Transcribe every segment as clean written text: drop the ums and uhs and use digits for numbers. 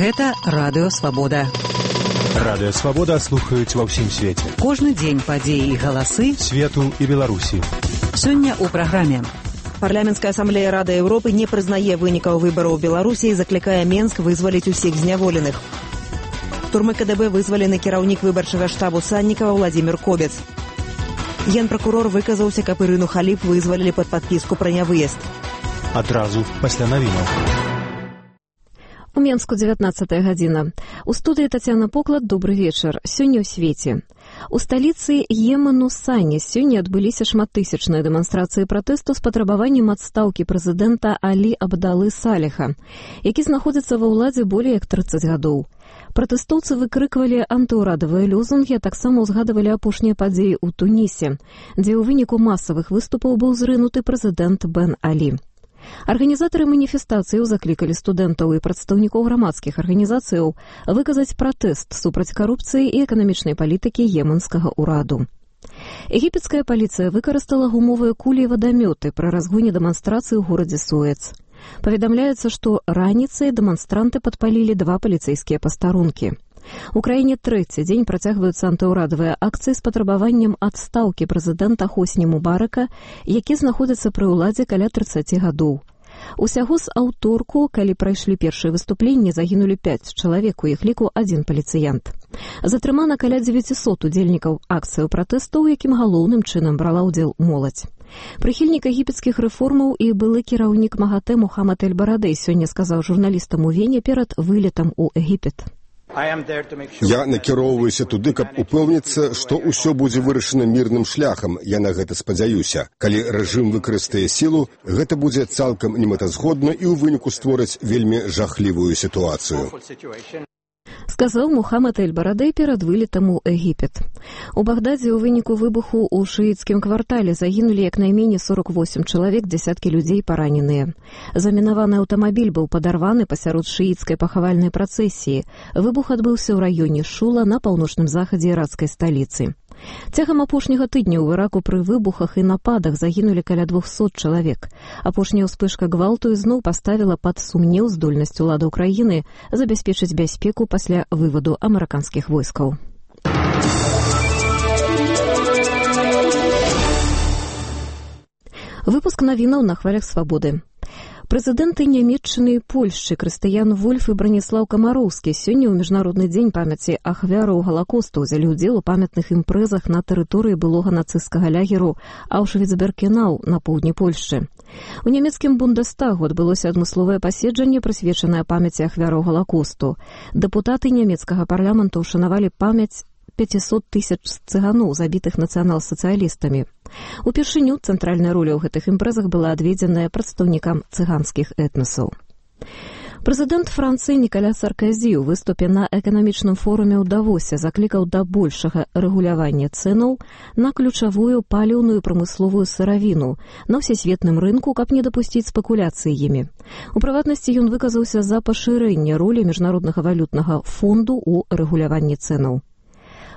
Гэта Радыё Свабода. Радыё Свабода слухаюць ва ўсім свеце. Кожны дзень падзеі і галасы свету і Беларусі. Сёння ў праграме. Парламенцкая асамблея Рады Еўропы не прызнае вынікаў выбараў у Беларусі і заклікае Менск вызваліць усіх зняволеных. Турмы КДБ вызвалены кіраўнік выбарчага штабу Саннікава Владзімір Кобец. Генпракурор выказаўся, каб Ірыну Халіп вызвалілі пад падпіску пра нявыезд. Адразу пасля навінаў. У Менску 19 гадзіна. У студыі Тацяна Поклад, добры вечар. Сёння ў свеце. У сталіцы Йемену Сані сёння адбыліся шматтысячныя дэманстрацыі пратэсту з патрабаваннем адстаўкі прэзідэнта Алі Абдалы Саліха, які знаходзіцца ва ўладзе болей як 30 гадоў. Пратэстоўцы выкрыквалі антыўрадавыя лозунгі, а таксама ўзгадывалі апошнія падзеі ў Тунісе, дзе ў выніку масавых выступаў быў зрынуты прэзідэнт Бен Алі. Арганізатары маніфестацыяў заклікалі студэнтаў і прадстаўнікоў грамадскіх арганізацыяў выказаць пратэст супраць карупцыі і эканамічнай палітыкі йеменскага ўраду. Егіпецкая паліцыя выкарыстала гумовыя кулі і вадамёты пры разгоне дэманстрацыі ў горадзе Суэц. Паведамляецца, што раніцай дэманстранты падпалілі 2 паліцэйскія пастарункі. У краіне трэці дзень працягваюцца антыўрадавыя акцыі з патрабаваннем адстаўкі прэзідэнта Хосні Мубарака, які знаходзіцца пры ўладзе каля 30 гадоў. Усяго з аўторку, калі прайшлі першыя выступленні, загінулі 5 чалавек, у іх ліку 1 паліцыянт. Затрымана каля 900 удзельнікаў акцыяў пратэсту, у якім галоўным чынам брала ўдзел моладзь. Прыхільнік егіпецкіх рэформаў і былы кіраўнік МАГАТЭ Мухаммад Эль-Барадэй сёння сказаў журналістам у Вене перад вылетам у Егіпет. Я накіроўваюся туды, каб упэўніцца, што ўсё будзе вырашана мірным шляхам. Я на гэта спадзяюся. Калі рэжым выкарыстае сілу, гэта будзе цалкам немэтазгодна і ў выніку створыць вельмі жахлівую сітуацыю. Сказаў Мухаммад Эль-Барадэй перад вылетам у Егіпет. У Багдадзе ў выніку выбуху ў шыіцкім квартале загінулі як найменей 48 чалавек, дзясяткі людзей параненыя. Замінаваны аўтамабіль быў падарваны пасярод шыіцкай пахавальнай працэсіі. Выбух адбыўся ў раёне Шула на паўночным захадзе іракскай сталіцы. Цягам апошняга тыдня ў Іраку пры выбухах і нападах загінулі каля 200 чалавек. Апошняя ўспышка гвалту ізноў паставіла пад сумнеў здольнасць уладаў краіны забяспечыць бяспеку пасля вываду амерыканскіх войскаў. Выпуск навінаў на хвалях свабоды. Прэзідэнты Нямецчыны і Польшчы Крыстыян Вольф і Браніслаў Камароўскі сёння ў Міжнародны дзень памяці ахвяраў Галакосту ўзялі ўдзел у памятных імпрэзах на тэрыторыі былога нацысцкага лагеру Аўшвіц-Біркенау на поўдні Польшчы. У нямецкім Бундестагу адбылося адмысловае паседжанне, прысвечанае памяці ахвяраў Галакосту. Дэпутаты нямецкага парламенту ўшанавалі памяць 500 000 цыганоў, забітых нацыянал-сацыялістамі. Упершыню цэнтральная роля ў гэтых імпрэзах была адведзеная прадстаўнікам цыганскіх этнасаў. Прэзідэнт Францыі Нікаля Сарказі ў выступе на эканамічным форуме ў Давосе заклікаў да большага рэгулявання цэнаў на ключавую паліўную прамысловую сыравіну на ўсесветным рынку, каб не дапусціць спекуляцыі імі. У прыватнасці ён выказаўся за пашырэнне ролі міжнароднага валютнага фонду ў рэгуляванні цэнаў.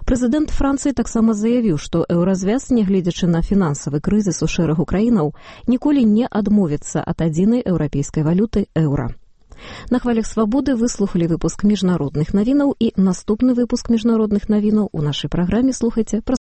Прэзідэнт Францыі таксама заявіў, што еўразвяз, нягледзячы на фінансавы крызіс у шэрагу краінаў, ніколі не адмовіцца ад адзінай еўрапейскай валюты еўра. На хвалях свабоды выслухалі выпуск міжнародных навінаў і наступны выпуск міжнародных навінаў у нашай праграме слухайце праз